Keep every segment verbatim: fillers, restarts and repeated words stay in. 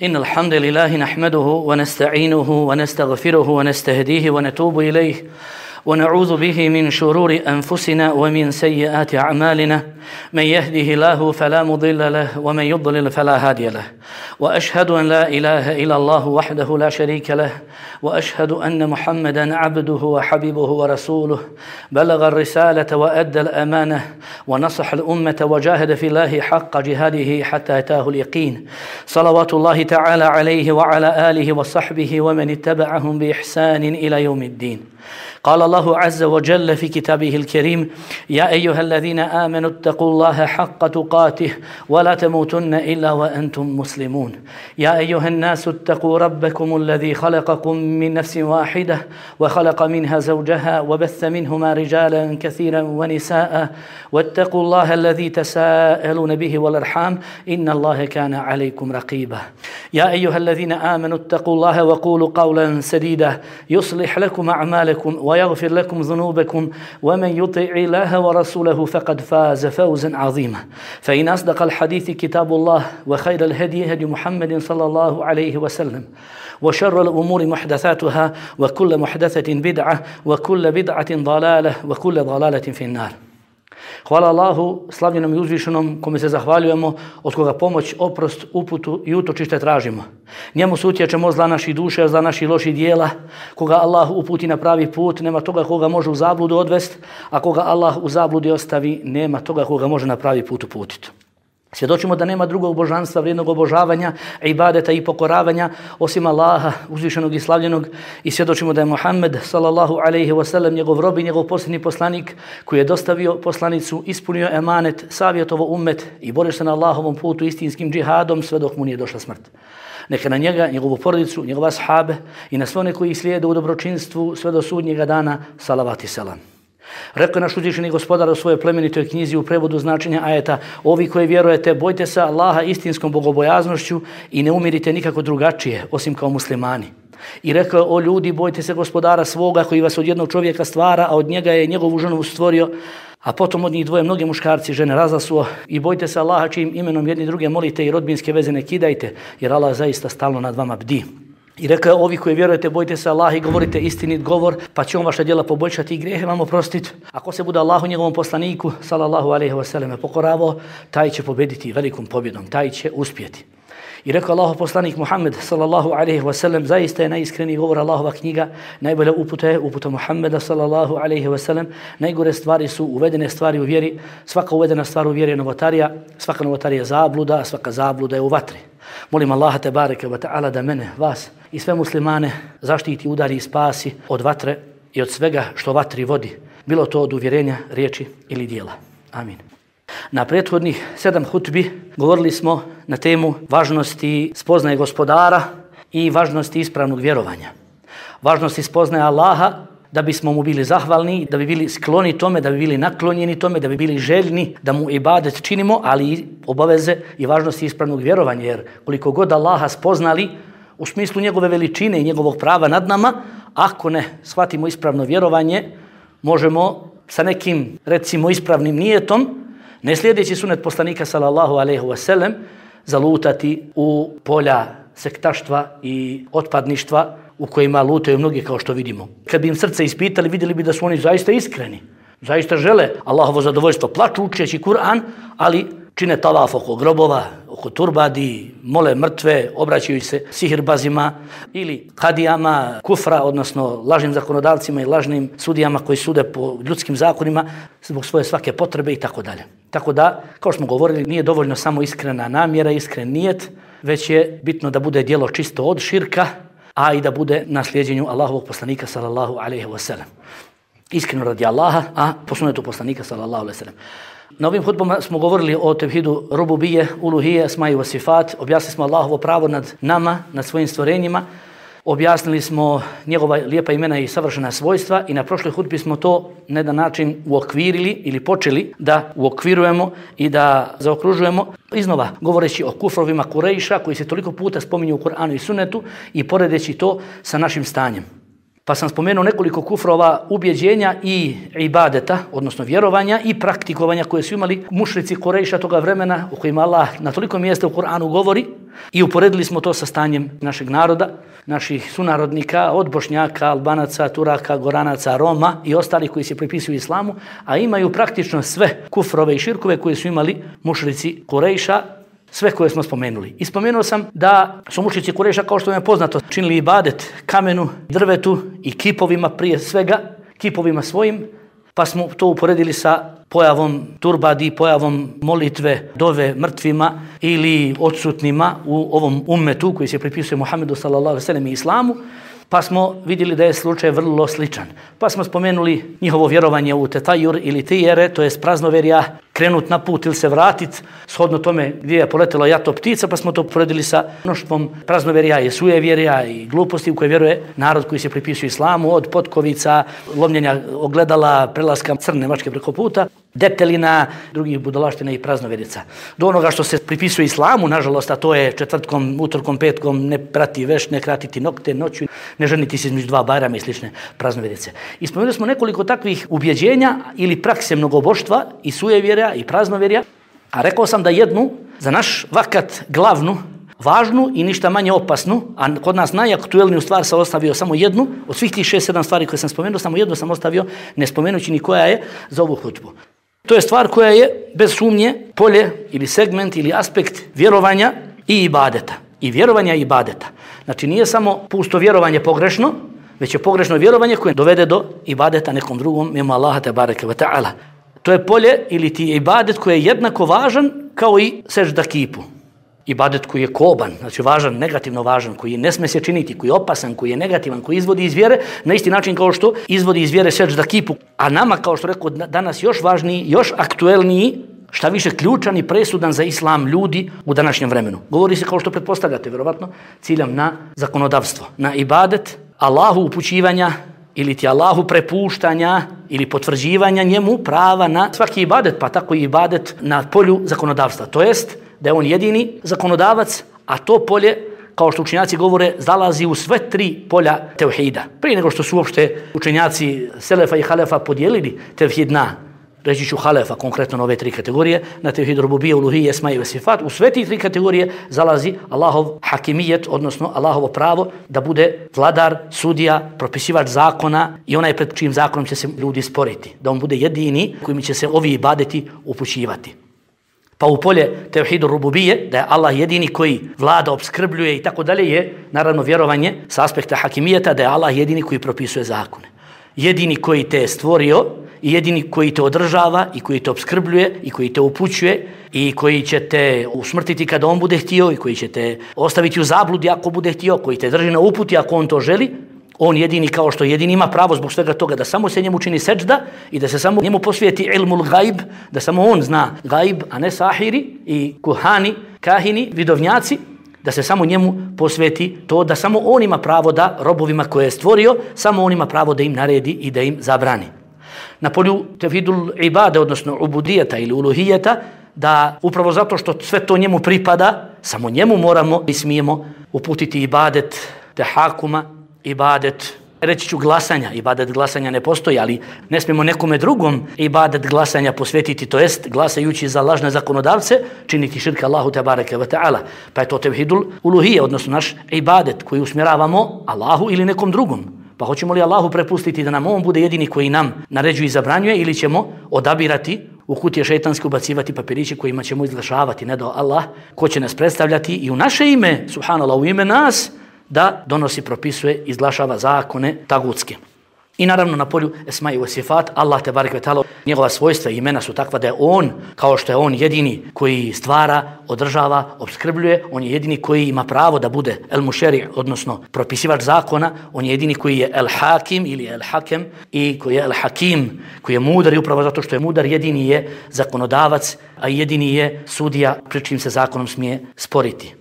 إن الحمد لله نحمده ونستعينه ونستغفره ونستهديه ونتوب إليه ونعوذ به من شرور أنفسنا ومن سيئات أعمالنا من يهده الله فلا مضل له ومن يضلل فلا هادي له وأشهد أن لا إله إلا الله وحده لا شريك له وأشهد أن محمدا عبده وحبيبه ورسوله بلغ الرسالة وأدى الأمانة ونصح الأمة وجاهد في الله حق جهاده حتى أتاه اليقين صلوات الله تعالى عليه وعلى آله وصحبه ومن اتبعهم بإحسان إلى يوم الدين. قال الله عز وجل في كتابه الكريم: يا أيها الذين آمنوا اتقوا الله حق تقاته ولا تموتن إلا وأنتم مسلمون. يا أيها الناس اتقوا ربكم الذي خلقكم من نفس واحدة وخلق منها زوجها وبث منهما رجالا كثيرا ونساء واتقوا الله الذي تساءلون به والأرحام إن الله كان عليكم رقيبا. يا أيها الذين آمنوا اتقوا الله وقولوا قولا سديدا يصلح لكم أعمالكم ويغفر لكم ذنوبكم ومن يطع الله ورسوله فقد فاز فوزا عظيما. فإن أصدق الحديث كتاب الله وخير الهدي هدي محمد صلى الله عليه وسلم وشر الأمور محدثاتها وكل محدثة بدعة وكل بدعة ضلالة وكل ضلالة في النار. Hvala Allahu, slavljenom i uzvišenom, kome se zahvaljujemo, od koga pomoć, oprost, uputu i utočište tražimo. Njemu se utječemo zla naših duša, zla naših loših dijela. Koga Allah uputi na pravi put, nema toga koga može u zabludu odvesti, a koga Allah u zabludi ostavi, nema toga koga može na pravi put uputiti. Svjedočimo da nema drugog božanstva, vrijednog obožavanja, ibadeta i pokoravanja osim Allaha, uzvišenog i slavljenog, i svjedočimo da je Muhammed sallallahu alejhi ve sellem njegov rob i njegov posljednji poslanik koji je dostavio poslanicu, ispunio emanet, savjetovo ummet i borio se na Allahovom putu istinskim džihadom sve dok mu nije došla smrt. Neka na njega, njegovu porodicu, njegove ashabe i na sve one koji slijede u dobročinstvu sve do sudnjega dana, salavat i selam. Rekao je naš uzvišeni gospodar u svojoj plemenitoj knjizi u prevodu značenja ajeta: ovi koji vjerujete, bojte se Allaha istinskom bogobojaznošću i ne umirite nikako drugačije osim kao muslimani. I rekao je: o ljudi, bojte se gospodara svoga koji vas od jednog čovjeka stvara, a od njega je njegovu ženu stvorio, a potom od njih dvoje mnoge muškarci i žene razasuo, i bojte se Allaha čijim imenom jedni druge molite i rodbinske veze ne kidajte, jer Allah zaista stalno nad vama bdi. I rekao je: ovi koji vjerujete, bojte se Allaha i govorite istinit govor, pa će on vaša djela poboljšati i grijehe vam oprostiti. Ako se bude Allahu njegovom poslaniku sallallahu alejhi ve selleme pokoravao, taj će pobediti velikom pobjedom, taj će uspjeti. I rekao Allahov poslanik Muhammed sallallahu alejhi ve sellem: zaista je najiskreniji govor Allahova knjiga, najbolja uputa je uputa Muhammeda sallallahu alejhi ve sellem, najgore stvari su uvedene stvari u vjeri, svaka uvedena stvar u vjeri je novotarija, svaka novotarija je zabluda, a svaka zabluda je u vatri. Molim Allaha te bareke ve taala da mene, vas i sve muslimane zaštiti, udari i spasi od vatre i od svega što vatri vodi, bilo to od uvjerenja, riječi ili dijela. Amin. Na prethodnih sedam hutbi govorili smo na temu važnosti spoznaje gospodara i važnosti ispravnog vjerovanja. Važnosti spoznaje Allaha da bismo mu bili zahvalni, da bi bili skloni tome, da bi bili naklonjeni tome, da bi bili željni da mu ibadet činimo, ali i obaveze i važnosti ispravnog vjerovanja, jer koliko god Allaha spoznali u smislu njegove veličine i njegovog prava nad nama, ako ne shvatimo ispravno vjerovanje, možemo sa nekim, recimo, ispravnim nijetom, ne slijedeći sunet poslanika sallallahu alejhi ve sellem, zalutati u polja sektaštva i otpadništva u kojima lutaju mnogi, kao što vidimo. Kad bi im srce ispitali, vidjeli bi da su oni zaista iskreni, zaista žele Allahovo zadovoljstvo, plaču učeći Kur'an, ali čine tavaf oko grobova, oko turbadi, mole mrtve, obraćaju se sihirbazima ili kadijama kufra, odnosno lažnim zakonodavcima i lažnim sudijama koji sude po ljudskim zakonima zbog svoje svake potrebe i tako dalje. Tako da, kao što smo govorili, nije dovoljno samo iskrena namjera, iskren nijet, već je bitno da bude djelo čisto od širka, a i da bude na slijedjenju Allahovog poslanika sallallahu alejhi ve sellem. Iskreno radi Allaha, a po sunnetu poslanika sallallahu alejhi ve sellem. Na ovim hutbama smo govorili o tevhidu rububije, uluhije, asma'i wa sifat, objasnili smo Allahovo pravo nad nama, nad svojim stvorenjima, objasnili smo njegova lijepa imena i savršena svojstva i na prošloj hutbi smo to na jedan način uokvirili ili počeli da uokvirujemo i da zaokružujemo, iznova govoreći o kufrovima Kurejša koji se toliko puta spominju u Kur'anu i Sunnetu i poredeći to sa našim stanjem. Pa sam spomenuo nekoliko kufrova ubjeđenja i ibadeta, odnosno vjerovanja i praktikovanja koje su imali mušrici Kurejša toga vremena o kojima Allah na toliko mjesta u Kur'anu govori i uporedili smo to sa stanjem našeg naroda, naših sunarodnika, od Bošnjaka, Albanaca, Turaka, Goranaca, Roma i ostalih koji se pripisuju islamu, a imaju praktično sve kufrove i širkove koje su imali mušrici Kurejša, sve koje smo spomenuli. I spomenuo sam da su mušrici Kurejša, kao što vam je poznato, činili ibadet kamenu, drvetu i kipovima prije svega, kipovima svojim, pa smo to uporedili sa pojavom turbadi, pojavom molitve, dove mrtvima ili odsutnima u ovom ummetu koji se pripisuje Muhammedu sallallahu alejhi ve sellem i islamu, pa smo vidjeli da je slučaj vrlo sličan. Pa smo spomenuli njihovo vjerovanje u tetajur ili tijere, to je praznoverja, krenut na put ili se vratit, shodno tome gdje je poletela jato ptica, pa smo to poredili sa mnoštvom praznoverja i sujevjerja i gluposti u koje vjeruje narod koji se pripisuje islamu, od potkovica, lomljenja ogledala, prelaska crne mačke preko puta, deptelina, drugih budalaština i praznoverica. Do onoga što se pripisuje islamu, nažalost, a to je četvrtkom, utorkom, petkom, ne prati veš, ne kratiti nokte, noću, ne ženiti se između dva bajrama i slične praznoverice. I spomenuli smo nekoliko takvih ubjeđenja ili prakse mnogoboštva i sujevjerja i praznovjerja, a rekao sam da jednu za naš vakat glavnu, važnu i ništa manje opasnu, a kod nas najaktuelniju stvar sam ostavio samo jednu, od svih tih šest, sedam stvari koje sam spomenuo, samo jednu sam ostavio, ne spomenući ni koja je za ovu hutbu. To je stvar koja je, bez sumnje, polje ili segment ili aspekt vjerovanja i ibadeta. I vjerovanja i ibadeta. Znači nije samo pusto vjerovanje pogrešno, već je pogrešno vjerovanje koje dovede do ibadeta nekom drugom, mimo Allaha tebareke ve ta'ala. To je polje ili ti ibadet koji je jednako važan kao i sežda kipu. Ibadet koji je koban, znači važan, negativno važan, koji ne sme se činiti, koji je opasan, koji je negativan, koji izvodi iz vjere, na isti način kao što izvodi iz vjere sežda kipu. A nama, kao što rekao, danas još važniji, još aktuelniji, šta više ključan i presudan za islam ljudi u današnjem vremenu. Govori se, kao što pretpostavljate, vjerovatno, ciljam na zakonodavstvo, na ibadet, Allahu upućivanja ili ti Allahu prepuštanja ili potvrđivanja njemu prava na svaki ibadet, pa tako i ibadet na polju zakonodavstva. To jest da je on jedini zakonodavac, a to polje, kao što učenjaci govore, zalazi u sve tri polja tevhida. Prije nego što su uopšte učenjaci Selefa i Halefa podijelili tevhid na, reći ću Halefa, konkretno na ove tri kategorije, na tevhid rububije, uluhije, esma i sifat, u sve ti tri kategorije zalazi Allahov hakimijet, odnosno Allahovo pravo da bude vladar, sudija, propisivač zakona i onaj pred čijim zakonom će se ljudi sporiti. Da on bude jedini kojim će se ovi ibadeti upućivati. Pa u polje tevhidu rububije, da je Allah jedini koji vlada, opskrbljuje i tako dalje, je naravno vjerovanje sa aspekta hakimijeta, da je Allah jedini koji propisuje zakone. Jedini koji te je stvorio i jedini koji te održava i koji te opskrbljuje i koji te upućuje i koji će te usmrtiti kada on bude htio i koji će te ostaviti u zabludi ako bude htio, koji te drži na uputi ako on to želi. On jedini, kao što jedini ima pravo zbog svega toga da samo se njemu čini seđda i da se samo njemu posvijeti ilmul gajb, da samo on zna gajb, a ne sahiri i kuhani, kahini, vidovnjaci, da se samo njemu posvijeti to da samo on ima pravo da robovima koje je stvorio, samo on ima pravo da im naredi i da im zabrani. Na polju tevhidul ibade, odnosno ubudijeta ili uluhijeta, da upravo zato što sve to njemu pripada, samo njemu moramo i smijemo uputiti ibadet tehakuma, ibadet, reći ću glasanja, ibadet glasanja ne postoji, ali ne smijemo nekome drugom ibadet glasanja posvetiti, to jest glasajući za lažne zakonodavce, činiti širka Allahu tebareke ve ta'ala. Pa je to tevhidul uluhije, odnosno naš ibadet koji usmjeravamo Allahu ili nekom drugom. Pa hoćemo li Allahu prepustiti da nam on bude jedini koji nam naređuje i zabranjuje ili ćemo odabirati u kutije šejtanske ubacivati papiriće kojima ćemo izglašavati, ne do Allah, ko će nas predstavljati i u naše ime, subhanallah, u ime nas, da donosi, propisuje, izglašava zakone tagutske. I naravno na polju esma i sifat, Allah te barek ve ta'ala, njegova svojstva i imena su takva da je on, kao što je on jedini koji stvara, održava, opskrbljuje, on je jedini koji ima pravo da bude el mušeri, odnosno propisivač zakona, on je jedini koji je el hakim ili el hakem i koji je el hakim, koji je mudar i upravo zato što je mudar, jedini je zakonodavac, a jedini je sudija pri čim se zakonom smije sporiti.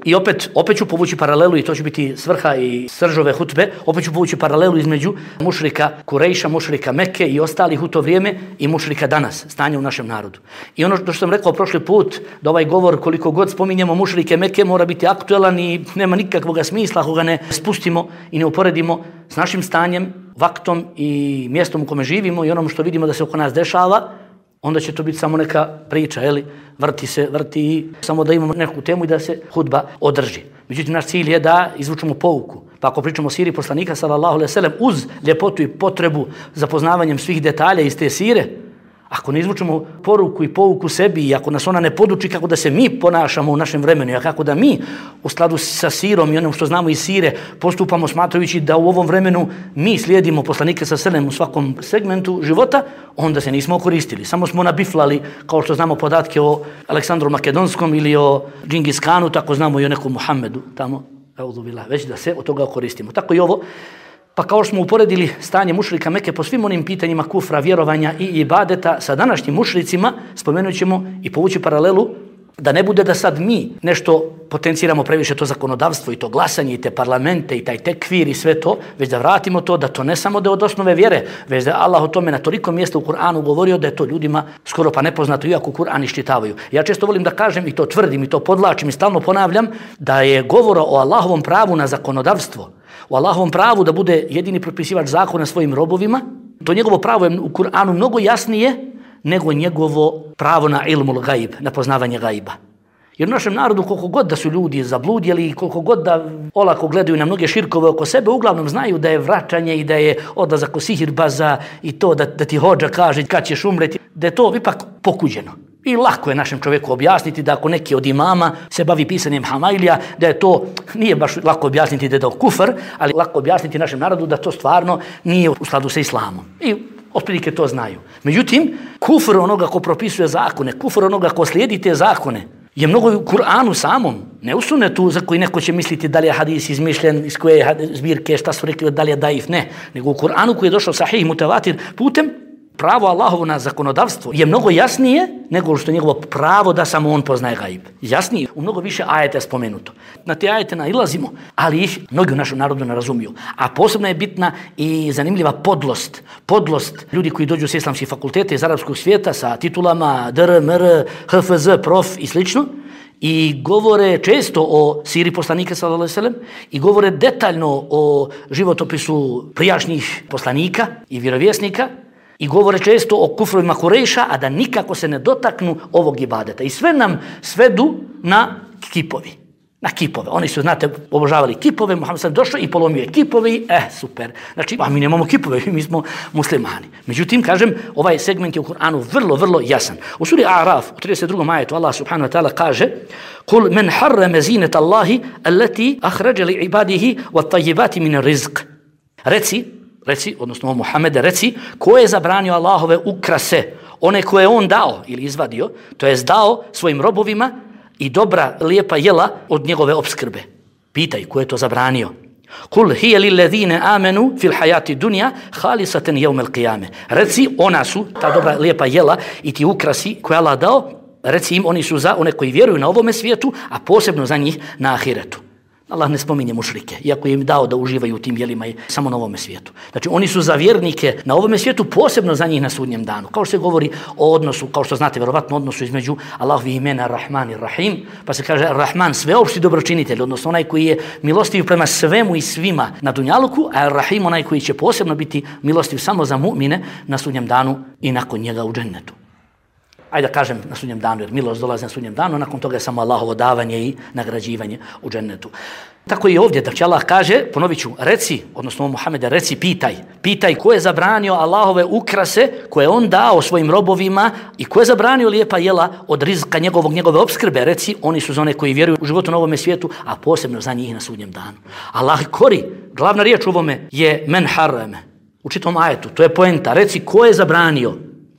I opet, opet ću povući paralelu i to će biti svrha i sržove hutbe, opet ću povući paralelu između mušrika Kurejša, mušrika Mekke i ostalih u to vrijeme i mušrika danas, stanje u našem narodu. I ono što sam rekao prošli put, da ovaj govor koliko god spominjemo mušrike Mekke mora biti aktuelan i nema nikakvog smisla ako ga ne spustimo i ne uporedimo s našim stanjem, vaktom i mjestom u kome živimo i onom što vidimo da se oko nas dešava, onda će to biti samo neka priča, eli, vrti se, vrti i samo da imamo neku temu i da se hudba održi. Međutim, naš cilj je da izvučemo pouku. Pa ako pričamo o siri poslanika, sallallahu alejhi ve sellem, uz ljepotu i potrebu za poznavanjem svih detalja iz te sire, ako ne izvučemo poruku i pouku sebi i ako nas ona ne poduči kako da se mi ponašamo u našem vremenu, a kako da mi u skladu sa sirom i onom što znamo iz sire postupamo smatrajući da u ovom vremenu mi slijedimo poslanike sa selem u svakom segmentu života, onda se nismo koristili. Samo smo nabiflali, kao što znamo podatke o Aleksandru Makedonskom ili o Džingis Kanu, tako znamo i o nekom Muhammedu tamo, već da se od toga koristimo. Tako i ovo. Pa kao što smo uporedili stanje mušrika Mekke po svim onim pitanjima kufra, vjerovanja i ibadeta sa današnjim mušricima, spomenut ćemo i povući paralelu da ne bude da sad mi nešto potenciramo previše to zakonodavstvo i to glasanje i te parlamente i taj tekvir i sve to, već da vratimo to da to ne samo da je od osnove vjere, već da je Allah o tome na toliko mjesta u Kur'anu govorio da je to ljudima skoro pa nepoznato iako Kur'an iščitavaju. Ja često volim da kažem i to tvrdim i to podlačim i stalno ponavljam da je govora o Allahovom pravu na zakonodavstvo, o Allahovom pravu da bude jedini propisivač zakona svojim robovima, to njegovo pravo je u Kur'anu mnogo jasnije nego njegovo pravo na ilmul gaib, na poznavanje gajba. Jer u našem narodu koliko god da su ljudi zabludjeli i koliko god da olako gledaju na mnoge širkove oko sebe, uglavnom znaju da je vraćanje i da je odlazak u sihirbaza i to da, da ti hodža kaže kad ćeš umreti, da je to ipak pokuđeno. I lako je našem čovjeku objasniti da ako neki od imama se bavi pisanjem hamailija, da je to, nije baš lako objasniti da je to kufr, ali lako objasniti našem narodu da to stvarno nije u skladu sa islamom. I otprilike to znaju. Međutim, kufr onoga ko propisuje zakone, kufr onoga ko slijedi te zakone, je mnogo u Kur'anu samom, ne u sunetu za koji neko će misliti da li je hadis izmišljen, iz koje je zbirke, šta su rekli, da li je daif, ne. Nego u Kur'anu koji je došao sahih mutavatir putem, pravo Allahovo na zakonodavstvo je mnogo jasnije nego što je njegovo pravo da samo on poznaje gajb. Jasnije, u mnogo više ajeta je spomenuto. Na te ajete nailazimo, ali ih mnogi u našem narodu ne razumiju. A posebno je bitna i zanimljiva podlost. Podlost ljudi koji dođu s islamskih fakulteta iz arapskog svijeta sa titulama D R, M R, H F Z, prof i slično. I govore često o siri poslanika sallallahu alejhi ve sellem i govore detaljno o životopisu prijašnjih poslanika i vjerovjesnika. I govore često o kufrovima Kurejša, a da nikako se ne dotaknu ovog ibadeta. I sve nam svedu na kipovi. Na kipove. Oni su, znate, obožavali kipove, Muhammed sam došao i polomio je kipove i, eh, super. Znači, a mi nemamo kipove, mi smo muslimani. Međutim, kažem, ovaj segment je u Kur'anu vrlo, vrlo jasan. U suri A'raf, u trideset drugom ajetu, Allah subhanahu wa ta'ala kaže Kul men harrame zinet Allahi allati ahrađa li ibadihi wa tajibati min rizq. Reci, Reci, odnosno Muhammede, reci, ko je zabranio Allahove ukrase, one koje on dao ili izvadio, to je dao svojim robovima i dobra, lijepa jela od njegove opskrbe. Pitaj, ko je to zabranio? Kul hiya lilladhina amanu fil hayati dunya khalisatan yawm al-qiyamah. Reci, ona su, ta dobra, lijepa jela i ti ukrasi koje Allah dao, reci im, oni su za one koji vjeruju na ovome svijetu, a posebno za njih na ahiretu. Allah ne spominje mušrike, iako je im dao da uživaju u tim jelima i samo na ovome svijetu. Znači, oni su za vjernike na ovome svijetu, posebno za njih na sudnjem danu. Kao što se govori o odnosu, kao što znate, vjerovatno odnosu između Allahovih imena Rahman i Rahim, pa se kaže Rahman sveopšti dobročinitelj, odnosno onaj koji je milostiv prema svemu i svima na dunjaluku, a Rahim onaj koji će posebno biti milostiv samo za mu'mine na sudnjem danu i nakon njega u džennetu. Ajde da kažem na sudnjem danu, jer milost dolazi na sudnjem danu, nakon toga je samo Allahovo davanje i nagrađivanje u džennetu. Tako i ovdje, da će Allah kaže, ponovit ću, reci, odnosno Muhammede, reci, pitaj. Pitaj ko je zabranio Allahove ukrase koje on dao svojim robovima i ko je zabranio lijepa jela od rizka njegovog, njegove opskrbe. Reci, oni su za one koji vjeruju u životu na ovome svijetu, a posebno za njih na sudnjem danu. Allah kori, glavna riječ u ovome je men harrame. U čitom ajetu, to je poenta. Reci, ko je zabranio?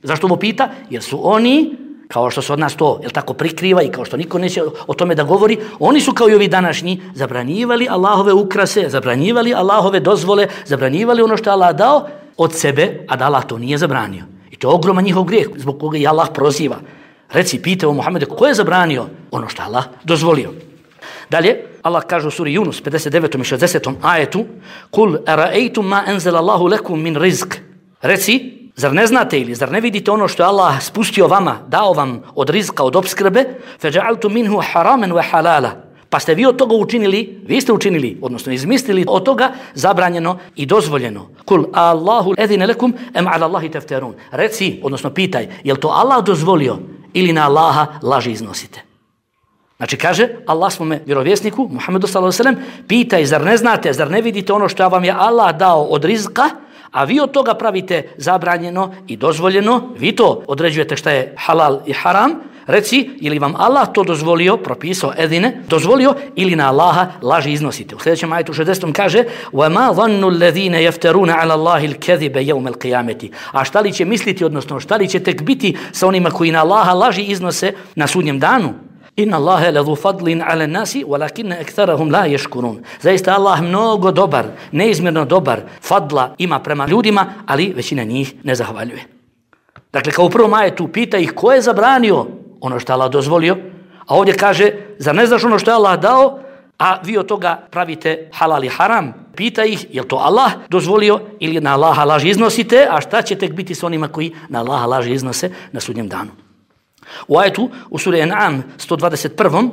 Zašto ovo pita? Jer su oni, kao što se od nas to, jel tako, prikriva i kao što niko neće o tome da govori, oni su kao i ovi današnji zabranjivali Allahove ukrase, zabranjivali Allahove dozvole, zabranjivali ono što je Allah dao od sebe, a da Allah to nije zabranio. I to je ogroman njihov grijeh, zbog koga i Allah proziva. Reci, pite o Muhammedu, ko je zabranio ono što je Allah dozvolio? Dalje, Allah kaže u suri Yunus pedeset devetom i šezdesetom ajetu: "Kul ara'aytum ma anzala Allahu lakum min rizq." Reci, zar ne znate ili zar ne vidite ono što je Allah spustio vama, dao vam od rizka, od opskrbe? "Faja'altum minhu haraman wa halala." Pa ste vi od toga učinili, vi ste učinili, odnosno izmislili od toga zabranjeno i dozvoljeno. Kul Allahu edzine lekum em ala Allahi tefterun. Reci, odnosno pitaj, je li to Allah dozvolio ili na Allaha laži iznosite? Znači kaže Allah svome vjerovjesniku Muhammedu sallallahu alejhi ve sellem, pitaj, zar ne znate, zar ne vidite ono što vam je Allah dao od rizka, a vi od toga pravite zabranjeno i dozvoljeno, vi to određujete šta je halal i haram. Reci, ili vam Allah to dozvolio, propisao edine, dozvolio, ili na Allaha laži iznosite. U sljedećem ajetu šezdesetom kaže: وَمَا ظَنُّ الَّذِينَ يَفْتَرُونَ عَلَى اللَّهِ الْكَذِبَ يَوْمَ الْقِيَامَةِ. A šta li će misliti, odnosno šta li će tek biti sa onima koji na Allaha laži iznose na sudnjem danu? Inna Allahe lezu fadlin ala nasi, walakinne ektarahum la yashkurun. Zaista Allah mnogo dobar, neizmjerno dobar fadla ima prema ljudima, ali većina njih ne zahvaljuje. Dakle, kao u prvom ajetu pita ih ko je zabranio ono što Allah dozvolio, a ovdje kaže, zar ne znaš ono što je Allah dao, a vi od toga pravite halal i haram? Pita ih, je li to Allah dozvolio ili na Allaha laži iznosite, a šta će tek biti s onima koji na Allaha laži iznose na sudnjem danu? U ajetu, u suri An'am sto dvadeset prvom,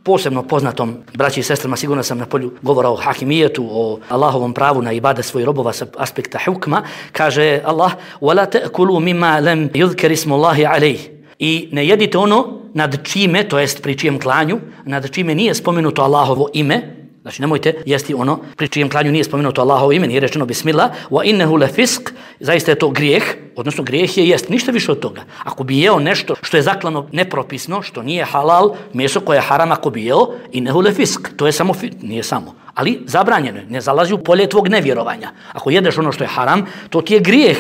posebno poznatom, braći i sestrama, sigurno sam na polju govora o hakimijetu, o Allahovom pravu na ibadet svojih robova sa aspekta hukma, kaže Allah: وَلَا تَأْكُلُوا مِمَّا لَمْ يُذْكَرِ اسْمُ اللَّهِ عَلَيْهِ. I ne jedite ono nad čime, to jest pri čijem klanju, nad čime nije spomenuto Allahovo ime. Znači nemojte jesti ono pri čijem klanju nije spomenuto Allahovo ime, nije rečeno bismillah, wa innahu lafisk, zaista je to grijeh, odnosno grijeh je jest, ništa više od toga. Ako bi jeo nešto što je zaklano nepropisno, što nije halal, meso koje je haram, ako bi jeo, innahu lafisk, to je samo, nije samo, ali zabranjeno je, ne zalazi u polje tvog nevjerovanja. Ako jedeš ono što je haram, to ti je grijeh.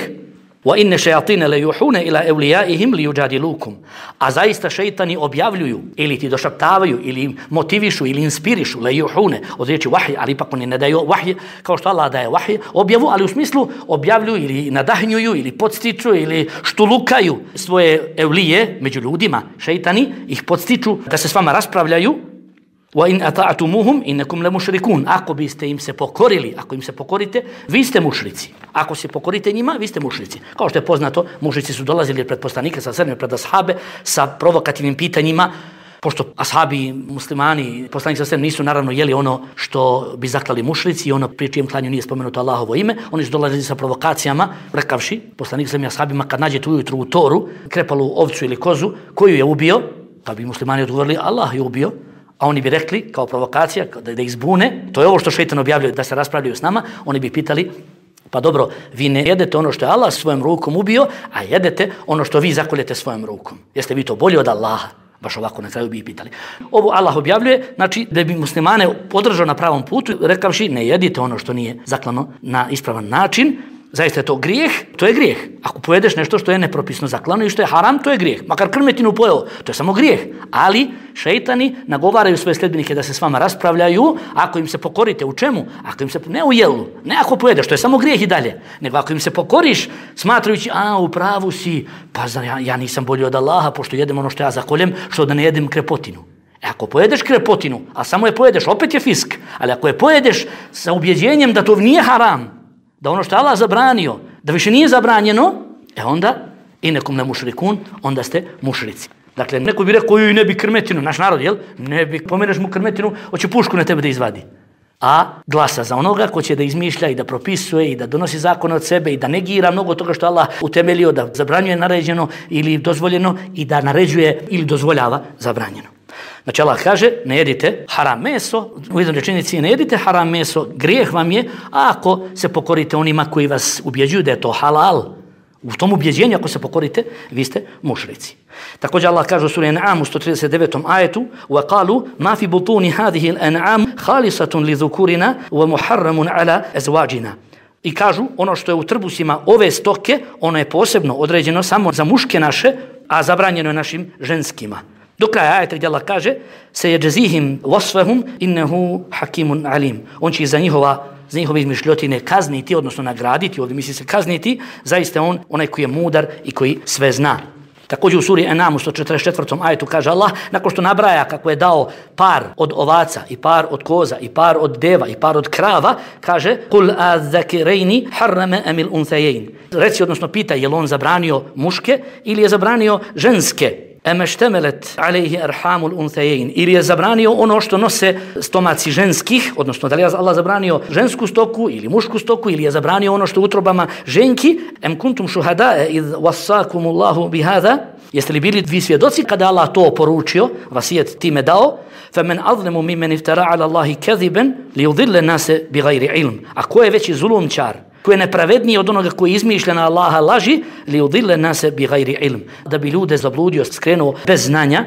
Wa inna shayatina la yuhuna ila awliyaihim liyujadilukum. A zaista šejtani objavljuju ili ti došaptavaju ili motivišu ili inspirišu, la yuhuna, od riječi vahj, ali ipak oni ne daju vahj kao što Allah daje vahj, objavu, ali u smislu objavljuju ili nadahnjuju ili podstiču ili štulukaju svoje evlije među ljudima. Šejtani ih podstiču da se s vama raspravljaju. Wa in ata'tumuhum innakum lamushrikun. Ako biste im se pokorili, ako im se pokorite, vi ste mušrici. Ako se pokorite njima, vi ste mušrici. Kao što je poznato, mušrici su dolazili pred poslanike sa srne, pred ashabe sa provokativnim pitanjima, pošto ashabi, muslimani, poslanici sa srne nisu naravno jeli ono što bi zaklali mušrici i ono pri čijem klanju nije spomenuto Allahovo ime, oni su dolazili sa provokacijama, rekavši poslanik sa ashabima kad nađete ujutru u toru krepalu ovcu ili kozu, koju je ubio, pa bi muslimani odgovorili Allah je ubio. A oni bi rekli, kao provokacija, da, da ih zbune, to je ovo što šejtan objavljuje, da se raspravljaju s nama, oni bi pitali, pa dobro, vi ne jedete ono što je Allah svojom rukom ubio, a jedete ono što vi zakoljete svojom rukom. Jeste vi to bolje od Allaha? Baš ovako na kraju bi ih pitali. Ovo Allah objavljuje, znači da bi muslimane podržao na pravom putu, rekavši ne jedite ono što nije zaklano na ispravan način. Zaista je to grijeh, to je grijeh. Ako pojedeš nešto što je nepropisno zaklano i što je haram, to je grijeh. Makar krmetinu pojeo, to je samo grijeh. Ali šejtani nagovaraju svoje sledbenike da se s vama raspravljaju, ako im se pokorite u čemu? Ako im se ne u jelu, ne ako pojedeš, to je samo grijeh i dalje. Nego ako im se pokoriš, smatrajući, a u pravu si, pa zna, ja, ja nisam bolji od Allaha, pošto jedem ono što ja zakoljem, što da ne jedem krepotinu. E ako pojedeš krepotinu, a samo je pojedeš, opet je fisk. Ali ako je pojedeš sa ubjeđenjem da to nije haram, da ono što je Allah zabranio, da više nije zabranjeno, e onda, i nekom ne mušrikun, onda ste mušrici. Dakle, neko bi rekao, joj, ne bi krmetinu, naš narod, jel? Ne bi, pomeneš mu krmetinu, hoće pušku na tebe da izvadi. A glasa za onoga ko će da izmišlja i da propisuje i da donosi zakone od sebe i da negira mnogo toga što Allah utemeljio, da zabranjuje naređeno ili dozvoljeno i da naređuje ili dozvoljava zabranjeno. Znači Allah kaže, ne jedite haram meso, u jednoj rečenici ne jedite haram meso, grijeh vam je, a ako se pokorite onima koji vas ubjeđuju da je to halal, u tom ubjeđenju ako se pokorite, vi ste mušrici. Također Allah kaže u suri An'am u sto trideset devetom ajetu: وَقَالُوا مَا فِي بُطُونِ هَذِهِ الْأَنْعَامِ خَالِصَةٌ لِذُكُورِنَا وَمُحَرَّمٌ عَلَى أَزْوَاجِنَا. I kažu, ono što je u trbusima ove stoke, ono je posebno određeno samo za muške naše, a zabranjeno je našim ženskima. Do kraja ajeta gdje Allah kaže: سَيَجْزِيهِمْ وَصْفَهُمْ إِنَّهُ حَكِيمٌ عَلِيمٌ. On će za njihova za njihove izmišljotine kazniti, odnosno nagraditi, ovdje misli se kazniti, zaista on, onaj koji je mudar i koji sve zna. Također u suri En'am u sto četrdeset četvrtom ajetu kaže Allah, nakon što nabraja kako je dao par od ovaca i par od koza i par od deva i par od krava, kaže Kul azzakirejni harrama amil unthayayn. Reci, odnosno pita, je li on zabranio muške ili je zabranio ženske? Emeštemelet alejhi arhamul unthayayn, ili je zabranio ono što nose stomaci ženskih, odnosno da li je Allah zabranio žensku stoku ili mušku stoku, ili je zabranio ono što u utrobama ženki. Em kuntum shuhada'a id wassakumullahu bihadha, jeste li bili vi svjedoci kada Allah to poručio, vasijet time dao? Faman azlamu mimman iftara ala Allahi kadhiban liyudilla an-nasa bighayri ilm. A ko je veći zulumčar, ko je nepravedniji od onoga koji izmišlja na Allaha laži, li udille nase bi gajri ilm, da bi ljude zabludio, skrenuo bez znanja.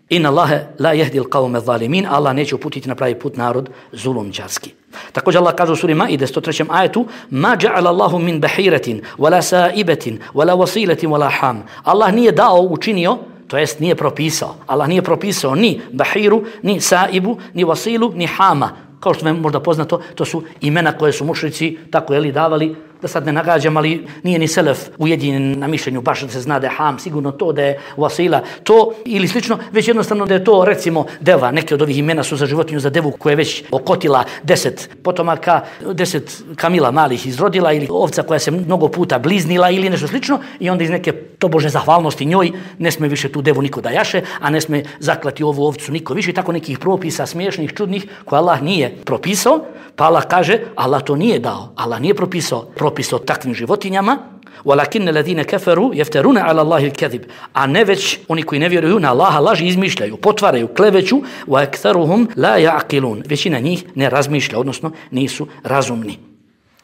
Inna Allahe la jehdi l'qavme zalimin, Allah neće uputiti na pravi put narod zulumčarski. Također Allah kaže u suri Maide sto trećem ajetu: Ma ja'ala Allahu min bahiratin, wala saibetin, wala wasiletin, wala ham. Allah nije dao, učinio, to jest nije propisao. Allah nije propisao ni bahiru, ni saibu, ni wasilu, ni hama. Kao što vam možda poznato, to su imena koje su mušrici tako je li davali, da sad ne nagađam, ali nije ni selef ujedinjen na mišljenju baš da se zna da je ham, sigurno to da je wasila, to ili slično, već jednostavno da je to recimo deva. Neke od ovih imena su za životinju, za devu koja je već okotila deset potomaka, deset kamila malih izrodila, ili ovca koja se mnogo puta bliznila ili nešto slično, i onda iz neke tobožne zahvalnosti njoj ne sme više tu devu niko da jaše, a ne sme zaklati ovu ovcu niko više, tako nekih propisa smiješnih, čudnih koje Allah nije propisao. Pa Allah kaže, Allah to nije dao, Allah nije propisao propis o takvim životinjama. وَلَكِنَّ الَّذِينَ كَفَرُوا يَفْتَرُونَ عَلَى اللَّهِ الْكَذِبِ. A ne već oni koji ne vjeruju na Allaha laži izmišljaju, potvaraju, kleveću. وَأَكْثَرُهُمْ لَا يَعْقِلُونَ. Većina njih ne razmišlja, odnosno nisu razumni.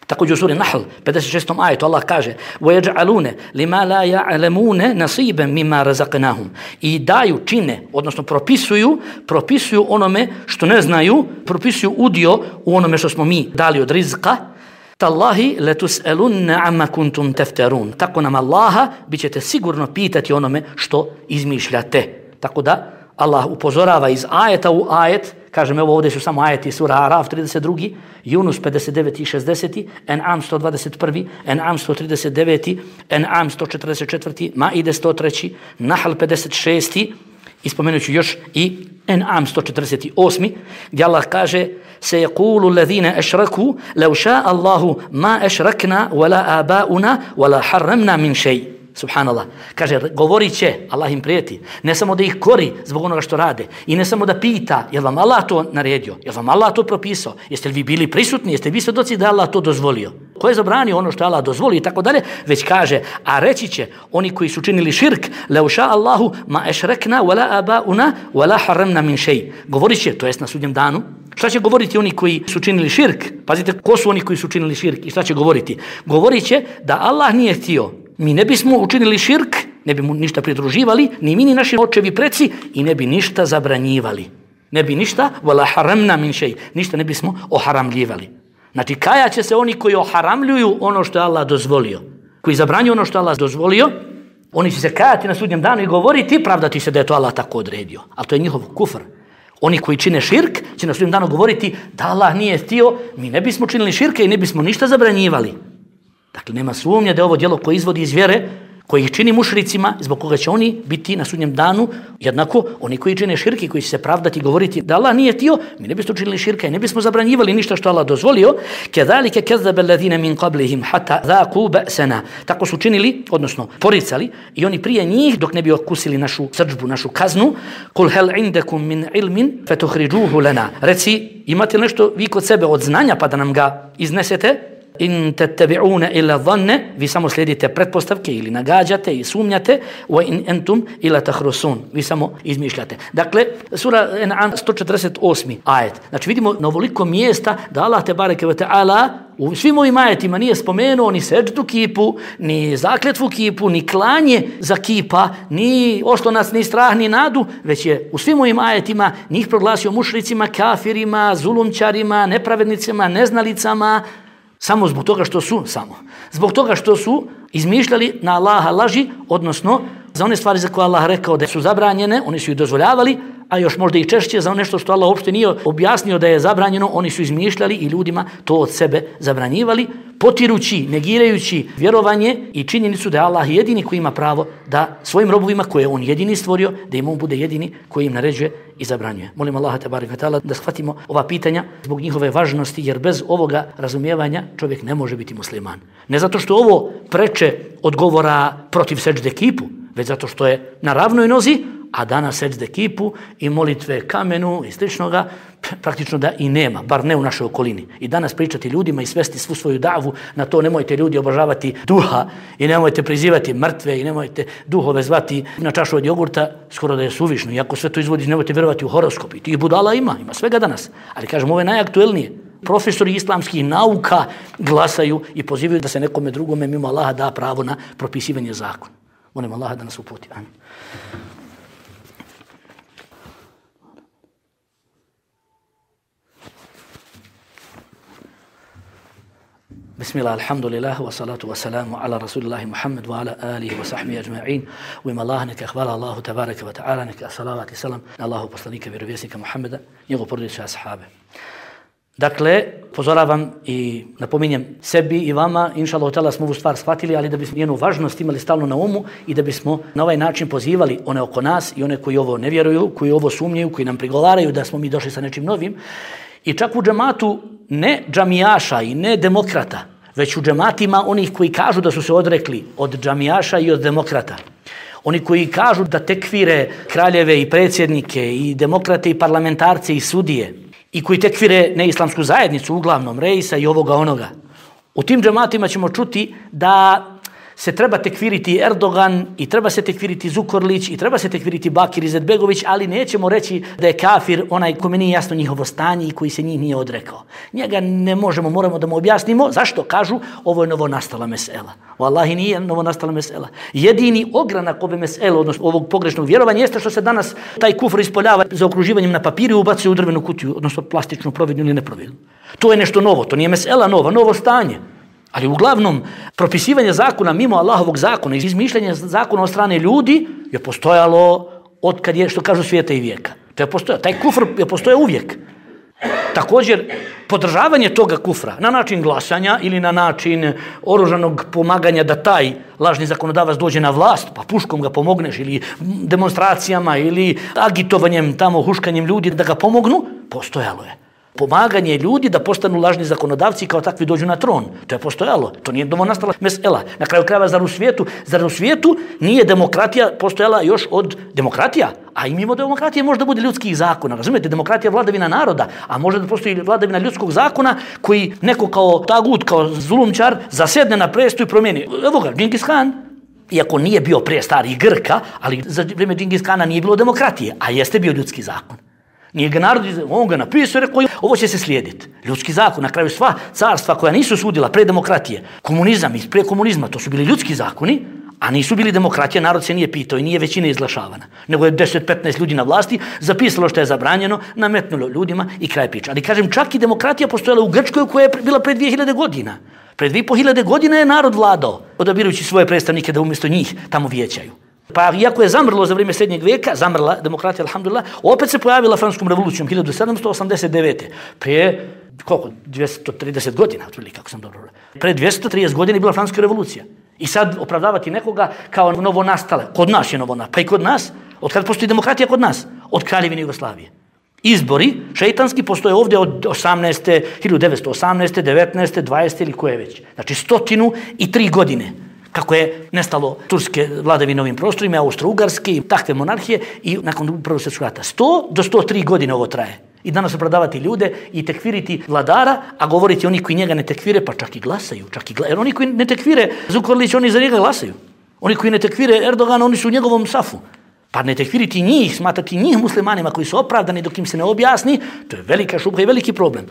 Također u suri Nahl, pedeset šestom ajetu, Allah kaže وَيَجْعَلُونَ لِمَا لَا يَعْلَمُونَ نَصِيبًا مِمَّا رَزَقْنَاهُمْ. I daju, čine, odnosno propisuju, propisuju onome što ne znaju, propisuju udio u onome što smo mi dali od rizka. Tallahi letus'alunna amma kuntum taftarun. Tako nam Allaha bit ćete sigurno pitati onome što izmišljate. Tako da Allah upozorava iz ajeta u ajet, kažem evo ovdje su samo ajeti sura Araf trideset dva, Yunus pedeset devet i šezdeset, En'am sto dvadeset jedan, En'am sto trideset devet, En'am sto četrdeset četiri, Maide sto tri, Nahl pedeset šest, ispomenut ću još i En'am sto četrdeset osam, gdje Allah kaže سيقول الذين أشركوا لو شاء الله ما أشركنا ولا آباؤنا ولا حرمنا من شيء. Subhanallah. Kaže, govorit će, Allah im prijeti, ne samo da ih kori zbog onoga što rade, i ne samo da pita, je li vam Allah to naredio, je li vam Allah to propisao, jeste li vi bili prisutni, jeste li vi svjedoci da Allah to dozvolio, ko je zabranio ono što Allah dozvolio i tako dalje, već kaže, a reći će oni koji su činili širk, leu ša Allahu ma ešrekna wala abauna wala haramna min šej. Govorit će, to jest na sudnjem danu, šta će govoriti oni koji su činili širk? Pazite, ko su oni koji su činili širk i šta će govoriti? Govorit će da Allah nije htio, mi ne bismo učinili širk, ne bi mu ništa pridruživali, ni mi ni naši očevi preci, i ne bi ništa zabranjivali. Ne bi ništa, wala haramna min šej, ništa ne bismo oharamljivali. Znači, kajat će se oni koji oharamljuju ono što je Allah dozvolio, koji zabranjuju ono što je Allah dozvolio, oni će se kajati na sudnjem danu i govoriti, pravdati se da je to Allah tako odredio. Ali to je njihov kufr. Oni koji čine širk će na sudnjem danu govoriti da Allah nije htio, mi ne bismo činili širke i ne bismo ništa zabranjivali. Dakle, nema sumnje da je ovo djelo koje izvodi iz vjere, koji ih čini mušricima, zbog koga će oni biti na sudnjem danu, jednako oni koji čine širke, koji će se pravdati i govoriti da Allah nije htio, mi ne bismo činili širka i ne bismo zabranjivali ništa što Allah dozvolio. Kedalike kezzaba alladhina min qablihim hatta dhaqu ba'sana. Tako su činili, odnosno poricali, i oni prije njih dok ne bi okusili našu srdžbu, našu kaznu. Kul hal indakum min ilmin fatukhrijuhu lana. Reci, imate nešto vi kod sebe od znanja pa da nam ga iznesete? In tattabi'una illa dhanne, vi samo slijedite pretpostavke ili nagađate i sumnjate, wa in entum illa takhrusun, vi samo izmišljate. Dakle, sura En'am sto četrdeset osam ajet. Znači vidimo na ovoliko mjesta da Allah tebareke ve taala u svim ovim ajetima nije spomenuo ni seđdu kipu, ni zakletvu kipu, ni klanje za kipa, ni oslonac, ni strah, ni nadu, već je u svim ovim ajetima njih proglasio mušricima, kafirima, zulumčarima, nepravednicima, neznalicama, samo zbog toga što su, samo, zbog toga što su izmišljali na Allaha laži, odnosno za one stvari za koje Allah rekao da su zabranjene, oni su ih dozvoljavali, a još možda i češće za nešto što Allah uopšte nije objasnio da je zabranjeno, oni su izmišljali i ljudima to od sebe zabranjivali. potirući, negirajući vjerovanje i činjenicu da je Allah jedini koji ima pravo da svojim robovima koje on jedini stvorio, da im on bude jedini koji im naređuje i zabranjuje. Molim Allaha tebareke ve taala da shvatimo ova pitanja zbog njihove važnosti, jer bez ovoga razumijevanja čovjek ne može biti musliman. Ne zato što ovo preče od govora protiv sećde kipu, već zato što je na ravnoj nozi, a danas sećde kipu i molitve kamenu i sličnoga praktično da i nema, bar ne u našoj okolini. I danas pričati ljudima i svesti svu svoju davu na to, nemojte ljudi obožavati duha i nemojte prizivati mrtve i nemojte duhove zvati na čašu od jogurta, skoro da je suvišno. Iako sve to izvodiš, nemojte vjerovati u horoskop. I tih budala ima, ima svega danas. Ali kažem, ovo je najaktuelnije. Profesori islamskih nauka glasaju i pozivaju da se nekome drugome mimo Allaha da pravo na propisivanje zakona. Molim Allaha da nas uputi. Amin. Bismillah, alhamdulillah, wa salatu wa salamu ala rasulillahi Muhammad wa ala alihi wa sahbihi ajma'in. U ime Allah, neka hvala Allahu tabaraka wa ta'ala, neka salavat i salam na Allahu poslanika vjerovjesnika Muhammada, njegov porodicu i ashabe. Dakle, pozoravam i napominjem sebi i vama, inša Allah ta'ala smo ovu stvar shvatili, ali da bismo njenu važnost imali stalno na umu i da bismo na ovaj način pozivali one oko nas i one koji ovo ne vjeruju, koji ovo sumnjaju, koji nam prigovaraju da smo mi došli sa nečim novim. I čak u džematu ne džamijaša i ne demokrata, već u džematima onih koji kažu da su se odrekli od džamijaša i od demokrata. Oni koji kažu da tekfire kraljeve i predsjednike i demokrate i parlamentarce i sudije i koji tekfire neislamsku zajednicu, uglavnom reisa i ovoga onoga. U tim džematima ćemo čuti da se treba tekfiriti Erdogan i treba se tekfiriti Zukorlić i treba se tekfiriti Bakir Izetbegović, ali nećemo reći da je kafir onaj kome nije jasno njihovo stanje i koji se njih nije odrekao. Njega ne možemo, moramo da mu objasnimo. Zašto? Kažu, ovo je novonastala mesela. Wallahi nije novonastala mesela. Jedini ogranak ove mesele, odnosno ovog pogrešnog vjerovanja, jeste što se danas taj kufr ispoljava za okruživanjem na papiru i ubacuje u drvenu kutiju, odnosno plastičnu providnu ili neprovidnu. To je nešto novo, to nije mesela nova, novo stanje. Ali uglavnom, propisivanje zakona mimo Allahovog zakona i izmišljanje zakona od strane ljudi je postojalo od kad je, što kažu, svijeta i vijeka. To je postojalo. Taj kufr je postojao uvijek. Također, podržavanje toga kufra na način glasanja ili na način oružanog pomaganja da taj lažni zakonodavac dođe na vlast, pa puškom ga pomogneš ili demonstracijama ili agitovanjem, tamo huškanjem ljudi da ga pomognu, postojalo je. Pomaganje ljudi da postanu lažni zakonodavci i kao takvi dođu na tron. To je postojalo. To nije novonastala mesela. Na kraju krajeva, zar u svijetu, zar u svijetu nije demokratija postojala još od demokratija? A i mimo demokratije može da bude ljudskih zakona. Razumijete, demokratija je vladavina naroda, a može da postoji vladavina ljudskog zakona koji neko kao tagut, kao zulumčar, zasedne na presto i promijeni. Evo ga, Džingis Khan. Iako nije bio prije stari Grka, ali za vrijeme Džingis Khana nije bilo demokratije, a jeste bio ljudski zakon. Nije ga narod, on ga napisao i rekao, ovo će se slijediti. Ljudski zakon, na kraju sva carstva koja nisu sudila pre demokratije, komunizam i pre komunizma, to su bili ljudski zakoni, a nisu bili demokratije, narod se nije pitao i nije većina izglašavana. Nego je deset do petnaest ljudi na vlasti zapisalo što je zabranjeno, nametnulo ljudima i kraj priča. Ali kažem, čak i demokratija postojala u Grčkoj koja je bila pre dvije hiljade godina. Pre dvije i po hiljade godina je narod vladao, odabirujući svoje predstavnike da umjesto njih tamo vijećaju. Pa iako je zamrlo za vrijeme srednjeg vijeka, zamrla demokratija, alhamdulillah, opet se pojavila francuskom revolucijom hiljadu sedamsto osamdeset devete. Prije, koliko, dvjesto trideset godina, otprilike, kako sam dobro. Pre dvjesto trideset godina je bila francuska revolucija. I sad opravdavati nekoga kao novo nastale. Kod nas je novo nastale. Pa i kod nas, od kada postoji demokratija kod nas? Od Kraljevine Jugoslavije. Izbori šeitanski postoje ovdje od osamnaeste, hiljadu devetsto osamnaeste, devetnaeste, dvadesete ili koje već. Znači stotinu i tri godine. Kako je nestalo turske vladavine ovim prostorima, austro-ugarske i takve monarhije i nakon Prvog svjetskog rata. sto do sto tri godine ovo traje. I danas opravdavati ljude i tekfiriti vladara, a govoriti oni koji njega ne tekfire, pa čak i glasaju. Čak i glasaju. Jer oni koji ne tekfire Zukorlić, oni za njega glasaju. Oni koji ne tekfire Erdogana, oni su u njegovom safu. Pa ne tekfiriti njih, smatrati njih muslimanima koji su opravdani dok im se ne objasni, to je velika šubha i veliki problem.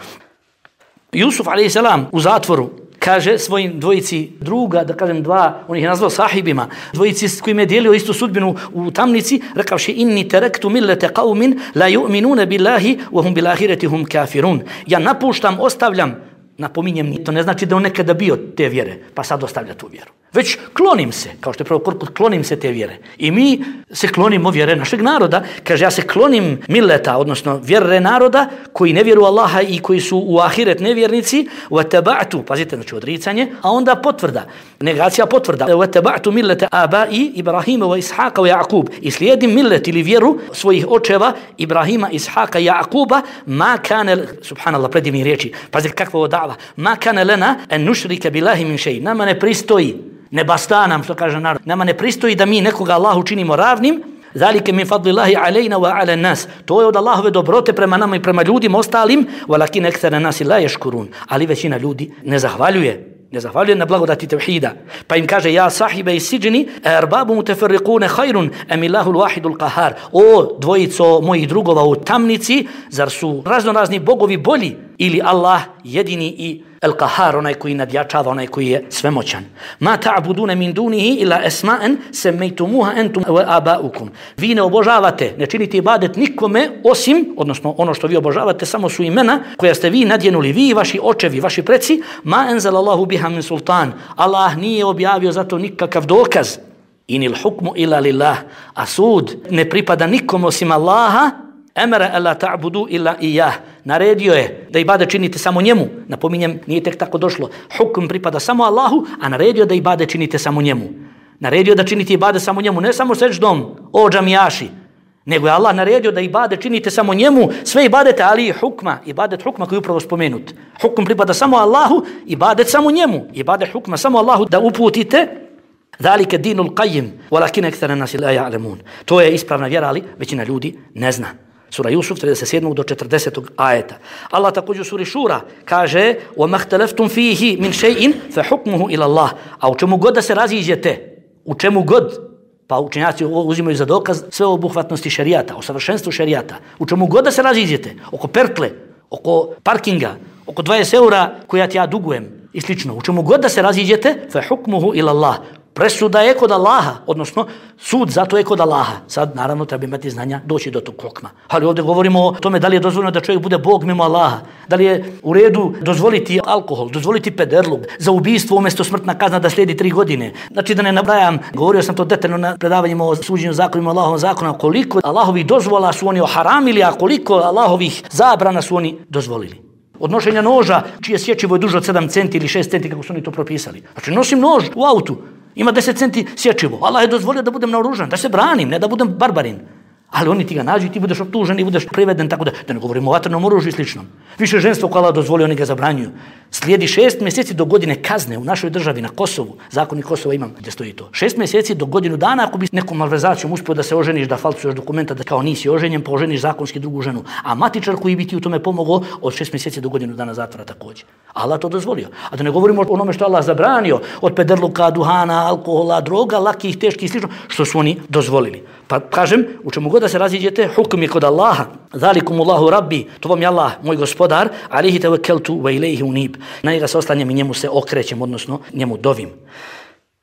Jusuf alejhi selam u zatvoru kaže svojim dvojici druga, da kažem dva, on ih je nazvao sahibima, dvojici s kojima je dijelio istu sudbinu u tamnici, rekavši inni terektu millete qaumin la yu'minuna billahi wa hum bil ahireti hum kafirun. Ja napuštam, ostavljam, napominjem, to ne znači da on nekada bio te vjere, pa sad ostavlja tu vjeru. Već klonim se, kao što je prvo korput, klonim se te vjere. I mi se klonimo vjere našeg naroda. Kaže, ja se klonim mileta, odnosno vjere naroda koji ne vjeruju Allaha i koji su u ahiret nevjernici. وَتَبَعْتُ, pazite, znači odricanje, a onda potvrda, negacija potvrda. وَتَبَعْتُ مِلَّةَ آبَائِ إِبْرَهِيمَ وَإِسْحَاقَ وَيَعْقُوب. I slijedim millet ili vjeru svojih očeva Ibrahima, Ishaqa i Jakuba. Ma kane, subhanallah, predivni riječi, pazite kakva ovo dava. Ma kane lena en nušrike billahi min šeji. Nama ne pristoji, ne basta nam, što kaže narod. Nama ne pristoji da mi nekoga Allahu činimo ravnim. Zalike min fadlillahi alejna wa ala nas. To je od Allahove dobrote prema nama i prema ljudima ostalim. Walakin ekthara nasi la yashkurun. Ali većina ljudi ne zahvaljuje. Ne zahvaljuje na blagodati tevhida. Pa im kaže, ja sahibe i siđeni, erbabu muteferrikune hajrun, emilahul wahidul kahar. O dvojico mojih drugova u tamnici, zar su razno razni bogovi bolji? Ili Allah jedini i el kahar, onaj koji nadjačava, onaj koji je svemoćan. Ma ta'budune min dunihi ila esma'en semmejtumuha entum wa abaukum. Vi ne obožavate, ne činite ibadet nikome osim, odnosno ono što vi obožavate, samo su imena koja ste vi nadjenuli, vi, vaši očevi, vaši preci. Ma enzalallahu biha min sultan. Allah nije objavio zato nikakav dokaz. Inil hukmu ila lillah. A sud ne pripada nikom osim Allaha. Emere alla ta'budu illa iyah. Naredio je da ibade činite samo njemu. Napominjem, nije tek tako došlo. Hukm pripada samo Allahu, a naredio da ibade činite samo njemu. Naredio da činite ibade samo njemu, ne samo sećdom, o džamijaši, nego je Allah naredio da ibade činite samo njemu, sve ibadete, ali i hukma, ibadet hukma koji je upravo spomenut. Hukm pripada samo Allahu, ibadet samo njemu. Ibadet hukma samo Allahu da uputite. Zalike dinul qayyim, walakin akthara nasi la ya'lamun. To je ispravna vjera, ali većina ljudi ne zna. Sura Jusuf trideset sedam do četrdesetog ajeta. Allah također u suri Šura kaže: "Wa mahtalaftum fihi min shay'in fa hukmuhu ila Allah." A u čemu god da se raziđete, u čemu god, pa učenjaci uzimaju za dokaz sve obuhvatnosti šerijata, o savršenstvu šerijata. U čemu god da se raziđete, oko pertle, oko parkinga, oko dvadeset eura koja ti ja dugujem i slično. U čemu god da se raziđete, fa hukmuhu ila Allah. Presuda je kod Allaha, odnosno sud zato je kod Allaha. Sad naravno treba imati znanja doći do tog hukma. Ali ovdje govorimo o tome da li je dozvoljeno da čovjek bude Bog mimo Allaha, da li je u redu dozvoliti alkohol, dozvoliti pederluk, za ubistvo umjesto smrtna kazna da slijedi tri godine. Znači da ne nabrajam, govorio sam to detaljno na predavanjima o suđenju zakonima Allahovog zakona, koliko Allahovih dozvola su oni oharamili, a koliko Allahovih zabrana su oni dozvolili. Odnošenja noža čije sječivo je duže od sedam centi ili šest centi kako su oni to propisali. Znači nosim nož u autu, ima deset centi sječivo. Allah je dozvolio da budem naoružan, da se branim, ne da budem barbarin. Ali oni ti ga nađu i ti budeš optužen i budeš priveden, tako da, da ne govorimo o vatrenom oružju i slično. Više ženstvo koje Allah dozvolio, oni ga zabranjuju. Slijedi šest mjeseci do godine kazne u našoj državi na Kosovu. Zakon i Kosova imam gdje stoji to. Šest mjeseci do godinu dana ako bi nekom malverzacijom uspio da se oženiš, da falsuješ dokumenta, da kao nisi oženjen, pa oženiš zakonski drugu ženu. A matičar koji bi ti u tome pomogao od šest mjeseci do godinu dana zatvora također. Allah to dozvolio. A da ne govorimo o onome što Allah zabranio, od pederluka, duhana, alkohola, droga, lakih, teških i slično, što su oni dozvolili. Pa kažem, u čemu god da se raziđete, hukm je kod Allaha. Zalikumullahu rabbi, to vam je Allah, moj gospodar, alihi tawakkaltu wa ilayhi unib. Na njega se oslanjam i njemu se okrećem, odnosno njemu dovim.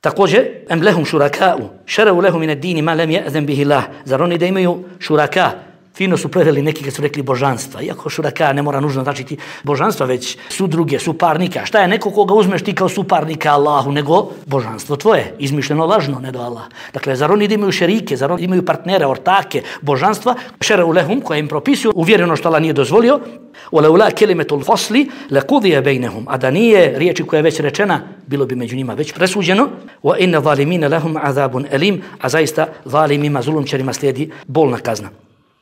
Također, em lehum šuraka'u, šereu lehum min ad-dini ma lam ya'zan bihi Allah. Zar oni da imaju šuraka? Fino su preveli neki kad su rekli božanstva. Iako šuraka ne mora nužno značiti božanstva, već su druge, suparnika. Šta je neko koga uzmeš ti kao suparnika Allahu, nego božanstvo tvoje, izmišljeno lažno, ne do Allah. Dakle, zar oni da imaju šerike, zar oni imaju partnere, ortake, božanstva, šereu lehum, koje im propisuju, uvjereno što Allah nije dozvolio, وَلَوْلَا كَلِمَةُ الْفَصْلِ لَقُضِيَ بَيْنَهُمْ. A da nije riječi koja je već rečena, bilo bi među njima već presuđeno. وَإِنَّ ظَالِمِينَ لَهُمْ عَذَابٌ أَلِيمٌ. A zaista zalimima, zulumčarima slijedi bolna kazna.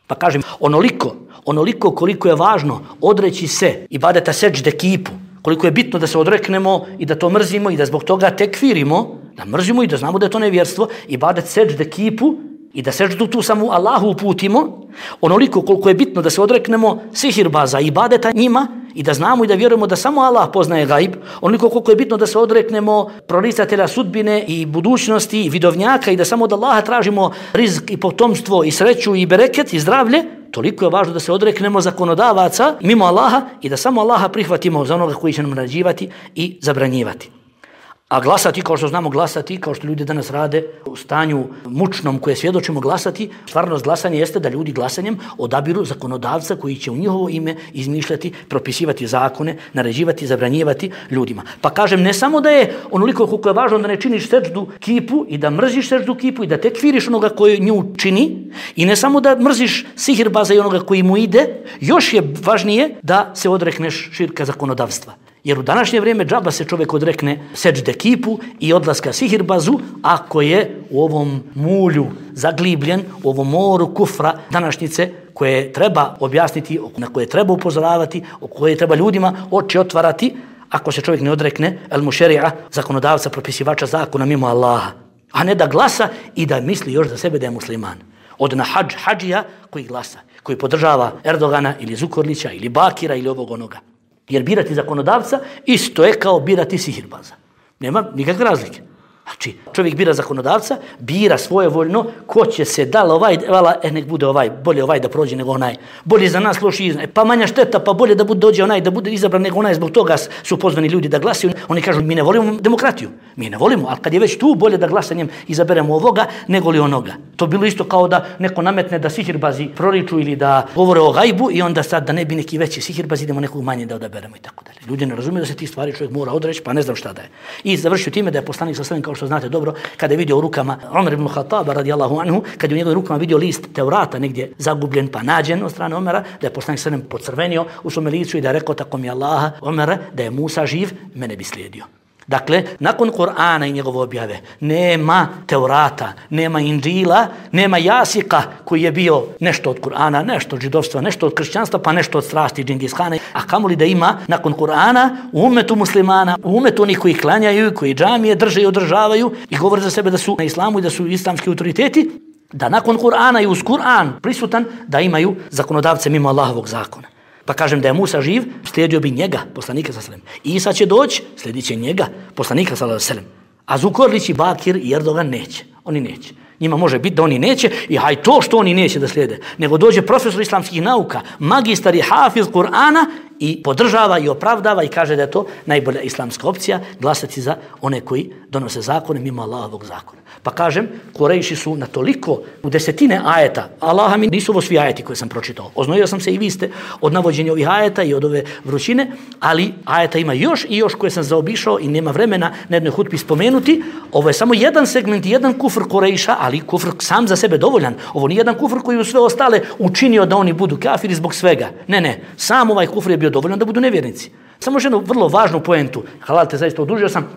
Pa kažem, onoliko, onoliko koliko je važno odreći se ibadeta seđde kipu, koliko je bitno da se odreknemo i da to mrzimo i da zbog toga tekfirimo, da mrzimo i da znamo da je to nevjerstvo, ibadet seđde kipu i da seđdu tu samo Allahu uputimo, onoliko koliko je bitno da se odreknemo sihirbaza i ibadeta njima i da znamo i da vjerujemo da samo Allah poznaje gajb, onoliko koliko je bitno da se odreknemo proricatelja sudbine i budućnosti i vidovnjaka i da samo od Allaha tražimo rizk i potomstvo i sreću i bereket i zdravlje, toliko je važno da se odreknemo zakonodavaca mimo Allaha i da samo Allaha prihvatimo za onoga koji će nam naređivati i zabranjivati. A glasati, kao što znamo glasati, kao što ljudi danas rade u stanju mučnom koje svjedočimo glasati, stvarnost glasanja jeste da ljudi glasanjem odabiru zakonodavca koji će u njihovo ime izmišljati, propisivati zakone, naređivati, zabranjivati ljudima. Pa kažem, ne samo da je onoliko koliko je važno da ne činiš sećdu kipu i da mrziš sećdu kipu i da tekfiriš onoga koji nju čini, i ne samo da mrziš sihirbaza i onoga koji mu ide, još je važnije da se odrekneš širka zakonodavstva. Jer u današnje vrijeme džaba se čovjek odrekne sećde kipu i odlaska sihirbazu ako je u ovom mulju zaglibljen, u ovom moru kufra današnjice koje treba objasniti, na koje treba upozoravati, o koje treba ljudima oči otvarati, ako se čovjek ne odrekne el mušerija, zakonodavca, propisivača zakona mimo Allaha, a ne da glasa i da misli još za sebe da je musliman. Od na hađ, hađija koji glasa, koji podržava Erdogana ili Zukorlića ili Bakira ili ovog onoga. Jer birati zakonodavca isto je kao birati sihirbaza. Nema nikakve razlike. Znači, čovjek bira zakonodavca, bira svojevoljno ko će se da ovaj, vala, e, nek bude ovaj, bolje ovaj da prođe nego onaj. Bolje za nas, loši iznaj. Pa manja šteta, pa bolje da bude dođe onaj, da bude izabran nego onaj. Zbog toga su pozvani ljudi da glasaju. Oni kažu, mi ne volimo demokratiju. Mi ne volimo, ali kad je već tu, bolje da glasanjem izaberemo ovoga nego li onoga. To bilo isto kao da neko nametne da sihirbazi proriču ili da govore o gajbu i onda sad da ne bi neki veći sihirbazi, idemo nekog manje da odaberemo i tako dalje. Ljudi ne razumiju da se ti stvari čovjek mora odreći, pa ne znam šta da je. I završio time da je poslanik sa svojim, kao što znate dobro, kada je vidio u rukama Omer ibn Khattaba radijallahu anhu, kad je u njegovim rukama vidio list Tevrata negdje zagubljen pa nađen od strane Omera, da je poslanik sallallahu alejhi ve sellem pocrvenio u svome licu i da je rekao, tako mi Allaha, Omere, da je Musa živ, mene bi slijedio. Dakle, nakon Kur'ana i njegove objave nema Tevrata, nema Inđila, nema Jasika koji je bio nešto od Kur'ana, nešto od židovstva, nešto od kršćanstva, pa nešto od strasti Džingishana. A kamoli da ima nakon Kur'ana u umetu muslimana, u umetu onih koji klanjaju, koji džamije drže i održavaju i govore za sebe da su na islamu i da su islamski autoriteti, da nakon Kur'ana i uz Kur'an prisutan da imaju zakonodavce mimo Allahovog zakona. Pa kažem da je Musa živ, slijedio bi njega, poslanika sallallahu alejhi ve sellem. Isa će doći, slijedit će njega, poslanika sallallahu alejhi ve sellem. A Zukorlić i Bakir i Erdogan neće. Oni neće. Njima može biti da oni neće i haj to što oni neće da slijede. Nego dođe profesor islamskih nauka, magistar i hafiz Kur'ana i podržava i opravdava i kaže da je to najbolja islamska opcija, glasati za one koji donose zakone mimo Allahovog zakona. Pa kažem, Kurejši su na toliko u desetine ajeta, Allaha mi nisu ovo svi ajeti koje sam pročitao. Oznojio sam se i vi ste od navođenja ovih ajeta i od ove vrućine, ali ajeta ima još i još koje sam zaobišao i nema vremena na jednoj hutbi spomenuti. Ovo je samo jedan segment, jedan kufr Kurejša, ali kufr sam za sebe dovoljan. Ovo nije jedan kufr koji u sve ostale učinio da oni budu kafiri zbog svega. Ne, ne, sam ovaj kufr je bio dovoljan da budu nevjernici. Samo još jednu vrlo važnu poentu, halal te zaista odužio sam,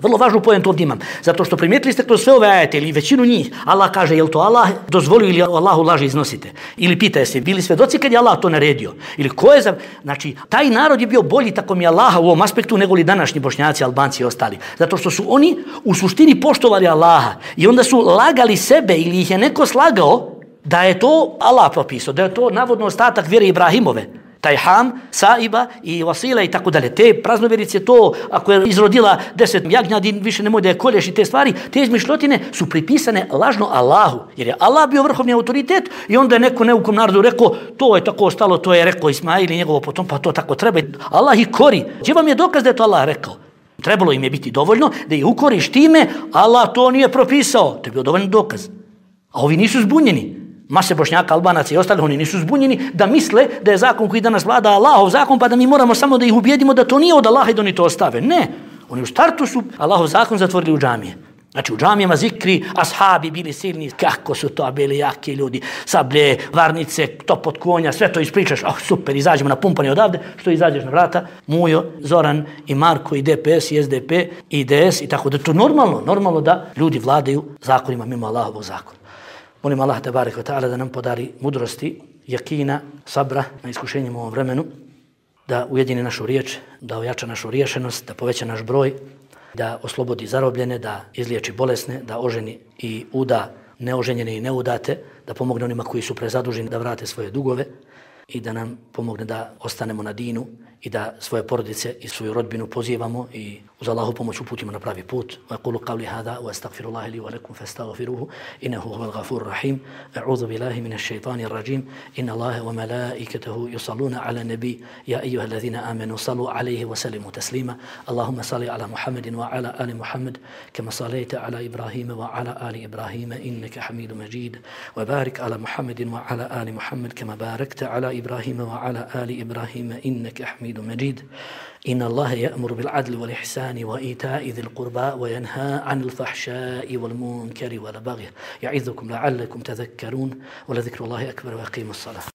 vrlo važnu poentu ovdje imam, zato što primijetili ste kroz sve ove ajete ili većinu njih, Allah kaže, jel to Allah dozvolio ili Allahu laži iznosite? Ili pita se, bili svedoci kad je Allah to naredio? Ili ko je za... Znači, taj narod je bio bolji tako mi Allaha u ovom aspektu nego li današnji Bošnjaci, Albanci i ostali. Zato što su oni u suštini poštovali Allaha i onda su lagali sebe ili ih je neko slagao da je to Allah propisao, da je to navodno ostatak vjere Ibrahimove. Taj Ham, Saiba i Vasila i tako dalje. Te praznovjerice, to ako je izrodila deset jagnjadi, više nemoj da je kolješ i te stvari, te izmišljotine su pripisane lažno Allahu. Jer je Allah bio vrhovni autoritet i onda je neko neukom narodu rekao, to je tako ostalo, to je rekao Ismail i njegovo potom, pa to tako treba. Allah ih kori. Gdje vam je dokaz da je to Allah rekao? Trebalo im je biti dovoljno da ih ukoriš time, Allah to nije propisao. To je bio dovoljno dokaz. A ovi nisu zbunjeni. Mase Bošnjaka, Albanaca i ostali, oni nisu zbunjeni da misle da je zakon koji danas vlada Allahov zakon, pa da mi moramo samo da ih ubijedimo da to nije od Allaha i da oni to ostave. Ne, oni u startu su Allahov zakon zatvorili u džamije. Znači u džamijama zikri, ashabi bili silni, kako su to bili jaki ljudi, sablje, varnice, top od konja, sve to ispričaš, oh super, izađemo na pumpanje odavde, što izađeš na vrata, Mujo, Zoran i Marko i D P S i S D P i D S i tako da to normalno, normalno da ljudi vladaju zakonima mimo Allahovog zakona. Molim Allah te barek ve ta'ala da nam podari mudrosti, jakina, sabra na iskušenjima u ovom vremenu, da ujedini našu riječ, da ojača našu riješenost, da poveća naš broj, da oslobodi zarobljene, da izliječi bolesne, da oženi i uda neoženjene i neudate, da pomogne onima koji su prezaduženi da vrate svoje dugove i da nam pomogne da ostanemo na dinu i da svoje porodice i svoju rodbinu pozivamo i uz Allahu pomoć uputimo na pravi put. Wa qulu qawli hadha wa astaghfirullaha li wa lakum fastaghfiruhu innahu huwal ghafurur rahim. A'udhu billahi minash shaitanir rajim. Inna Allaha wa malaikatahu yusalluna 'alan nabi ya ayyuhalladhina amanu sallu 'alayhi wa sallimu taslima. Allahumma salli 'ala Muhammadin wa 'ala ali Muhammad kama sallaita 'ala Ibrahim wa 'ala ali Ibrahim innaka Hamidum Majid. Wa barik 'ala Muhammadin wa 'ala ali Muhammad kama barakta 'ala Ibrahim wa 'ala ali Ibrahim innaka Hamidum Majid. إن الله يأمر بالعدل والإحسان وإيتاء ذي القربى وينهى عن الفحشاء والمنكر والبغي يعظكم لعلكم تذكرون ولذكر الله أكبر وأقيموا الصلاة.